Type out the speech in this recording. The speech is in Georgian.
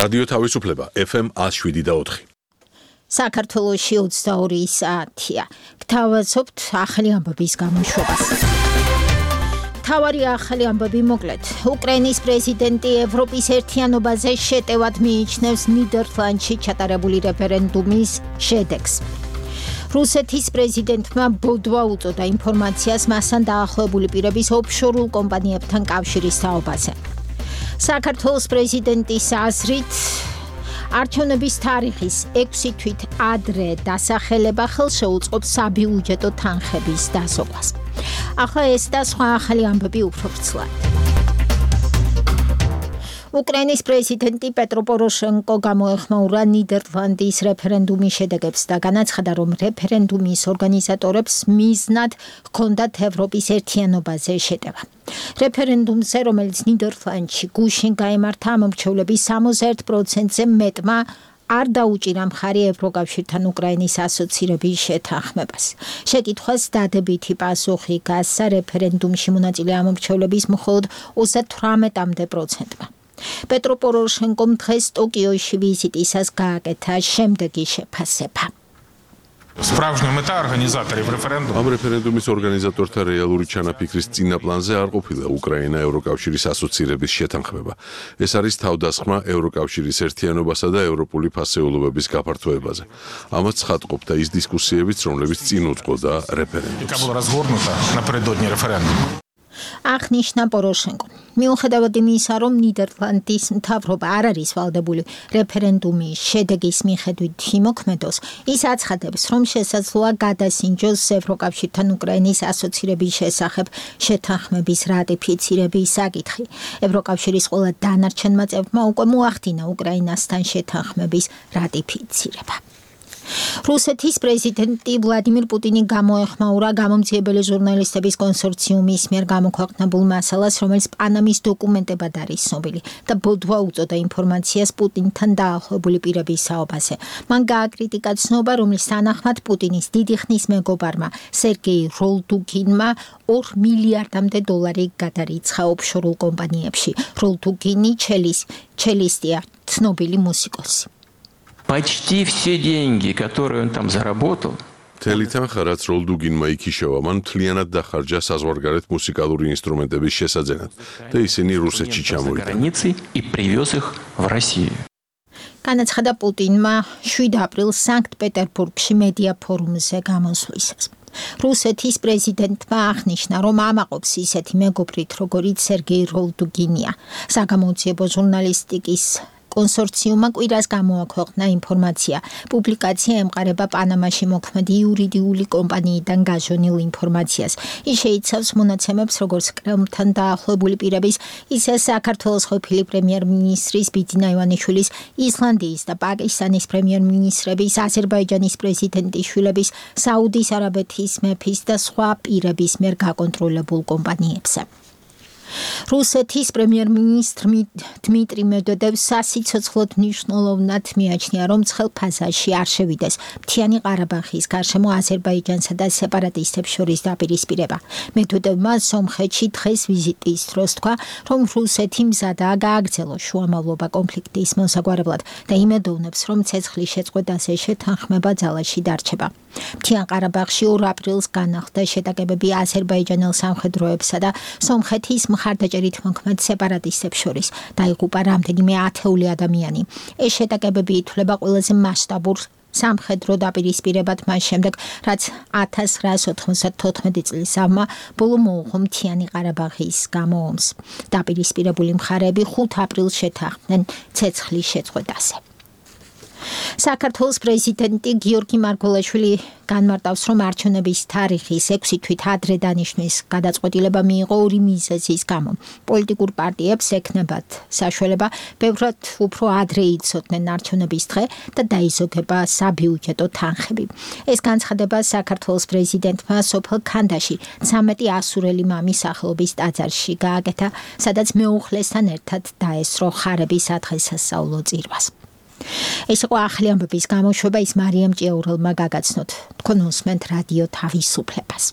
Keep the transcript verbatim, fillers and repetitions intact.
რადიო თავისუფლება F M one oh seven და four. საქართველოში ოცდაორი საათია. გთავაზობთ ახალი ამბების გამოშვებას. თავარი ახალი ამბები მოკლედ. უკრაინის პრეზიდენტი ევროპის ერთიანობაზე შეტევად მიიჩნევს ნიდერლანდში ჩატარებული რეფერენდუმის შედეგს. რუსეთის პრეზიდენტმა ბოდვა უწოდა ინფორმაციას მასთან დაახლოებული პირების ოფშორულ კომპანიებთან კავშირის თაობაზე. საქართველოს პრეზიდენტის აზრით არჩევნების თარიღის ექვსი თვით ადრე დასახელება ხელშეუწყობს საბიუჯეტო თანხების დასოკვას. ახლა ეს და სხვა ახალი ამბები უფრო ვრცლად. უკრაინის პრეზიდენტი პეტრო პოროშენკო გამოეხმაურა ნიდერლანდის რეფერენდუმის შედეგებს და განაცხადა, რომ რეფერენდუმის ორგანიზატორებს მიზნად ჰქონდათ ევროპის ერთიანობაზე შეტევა. რეფერენდუმზე, რომელიც ნიდერლანდში გუშინ გაიმართა, ამომრჩევლების სამოცდაერთ პროცენტზე მეტმა არ დაუჭირა მხარი ევროკავშირთან უკრაინის ასოცირების შეთანხმებას. შეკითხვას დადებითი პასუხი გასცა რეფერენდუმში მონაწილე ამომრჩევლების მხოლოდ ოცდათვრამეტ პროცენტმა. პეტრო პოროშენკომ დღეს ტოკიოში ვიზიტისას გააკეთა შემდეგი შეფასება. Справжня мета організаторів референдуму. Ამ რეფერენდუმის ორგანიზატორთა რეალური ჩანაფიქრის წინა პლანზე არ ყოფილა უკრაინა ევროკავშირის ასოცირების შეთანხმება. ეს არის თავდასხმა ევროკავშირის ერთიანობასა და ევროპული ფასეულობების გაფართოებაზე. ამას ცხადყოფდა ის დისკუსიებიც, რომლებიც წინ უძღოდა რეფერენდუმს. Яка була розгорнута напередодні референдуму. აღნიშნა პოროშენკო. მიუხედავად იმისა, რომ ნიდერლანდის მთავრობა არ არის ვალდებული რეფერენდუმის შედეგის მიხედვით იმოქმედოს, ის აცხადებს, რომ შესაძლოა გადასინჯოს ევროკავშირთან უკრაინის ასოცირების შესახებ შეთანხმების რატიფიცირების საკითხი. ევროკავშირის ყველა დანარჩენმა წევრმა უკვე მოახდინა უკრაინასთან შეთანხმების რატიფიცირება. რუსეთის პრეზიდენტი ვლადიმირ პუტინი გამოეხმაურა გამომძიებელი ჟურნალისტების კონსორციუმის მიერ გამოქვეყნებულ მასალას, რომელიც პანამის დოკუმენტებად არის ცნობილი და ბოდვა უწოდა ინფორმაციას პუტინთან დაახლოებული პირების საუბარზე. მან გააკრიტიკა ცნობა, რომლის თანახმად პუტინის დიდი ხნის მეგობარმა სერგეი როლდუგინმა ორ მილიარდამდე დოლარი გადარიცხა ოფშორულ კომპანიებში. როლდუგინი ჩელისტია, ცნობილი მუსიკოსი. Почти все деньги, которые он там заработал, მთელი თანხა, რაც როლდუგინმა იქიშევა, მან მთლიანად დახარჯა საზღვარგარეთ მუსიკალური ინსტრუმენტების შესაძენად და ისინი რუსეთში ჩამოვიდა. границей и привез их в Россию. განაცხადა პუტინმა შვიდ აპრილს სანქტ-პეტერბურგში მედია ფორუმზე გამოსვლისას. რუსეთის პრეზიდენტმა აღნიშნა, რომ ამაყობს ისეთი მეგობრით, როგორიც სერგეი როლდუგინია. საგამოძიებო ჟურნალისტიკის კონსორციუმმა კვირას გამოაქვეყნა ინფორმაცია. პუბლიკაცია ემყარება პანამაში მოქმედი იურიდიული კომპანიიდან გაჟონილ ინფორმაციას. ის შეიცავს მონაცემებს როგორც კრემლთან დაახლოებული პირების, ისე საქართველოს ყოფილი პრემიერ-მინისტრის ბიძინა ივანიშვილის, ისლანდიის და პაკისტანის პრემიერ-მინისტრების, აზერბაიჯანის პრეზიდენტის შვილების, საუდის არაბეთის მეფის და სხვა პირების მიერ გაკონტროლებულ კომპანიებზე. რუსეთის პრემიერ-მინისტრ დმიტრი მედვედევს სასიცოცხლოდ მნიშვნელოვნად მიაჩნია, რომ ცხელ ფაზაში არ შევიდეს მთიანი ყარაბაღის გარშემო აზერბაიჯანსა და სეპარატისტებს შორის დაპირისპირება. მედვედევმა სომხეთში დღეს ვიზიტის დროს თქვა, რომ რუსეთი მზადაა გააგრძელოს შუამავლობა კონფლიქტის მოსაგვარებლად და იმედოვნებს, რომ ცეცხლის შეწყვეტაზე შეთანხმება ძალაში დარჩება. მთიან ყარაბაღში ორ აპრილს განახლდა შეტაკებები აზერბაიჯანელ სამხედროებსა და სომხეთის მხარდაჭერით მოქმედ სეპარატისტებს შორის. დაიღუპა რამდენიმე ათეული ადამიანი. ეს შეტაკებები ითვლება ყველაზე მასშტაბურ სამხედრო დაპირისპირებად მას შემდეგ, რაც ათას ცხრაას ოთხმოცდათოთხმეტი წლის ავმა ბოლო მოუღო მთიანი ყარაბაღის გამო ომს. დაპირისპირებული მხარეები ხუთ აპრილს შეთანხმდნენ ცეცხლის შეწყვეტაზე. საქართველოს პრეზიდენტი გიორგი მარგველაშვილი განმარტავს, რომ არჩევნების თარიღის ექვსი თვით ადრე დანიშნვის გადაწყვეტილება მიიღო ორი მიზეზის გამო. პოლიტიკურ პარტიებს ექნებათ საშუალება ბევრად უფრო ადრე იცოდნენ არჩევნების დღე და დაიზოგება საბიუჯეტო თანხები. ეს განცხადება საქართველოს პრეზიდენტმა სოფელ ქანდაში ცამეტი ასურელი მამის სახელობის ტაძარში გააკეთა, სადაც მეუღლესთან ერთად დაესწრო ხარების ადღესასწაულო წირვას. ეს იყო ახალი ამბების გამოშვება, ის მარიამ ჭიაურელმა გაგაცნოთ. თქვენ უსმენთ რადიო თავისუფლებას.